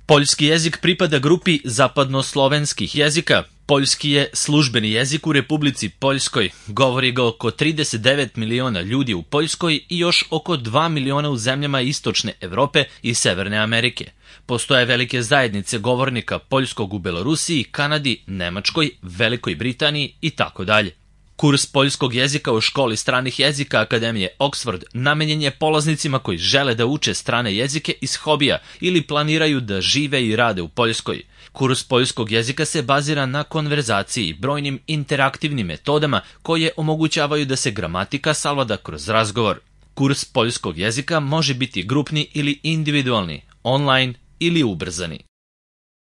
Poljski jezik pripada grupi zapadnoslovenskih jezika. Poljski je službeni jezik u Republici Poljskoj. Govori ga oko 39 miliona ljudi u Poljskoj i još oko 2 miliona u zemljama Istočne Evrope i Severne Amerike. Postoje velike zajednice govornika poljskog u Belorusiji, Kanadi, Nemačkoj, Velikoj Britaniji itd. Kurs poljskog jezika u školi stranih jezika Akademije Oxford namenjen je polaznicima koji žele da uče strane jezike iz hobija ili planiraju da žive i rade u Poljskoj. Kurs poljskog jezika se bazira na konverzaciji i brojnim interaktivnim metodama koje omogućavaju da se gramatika savlada kroz razgovor. Kurs poljskog jezika može biti grupni ili individualni, online ili ubrzani.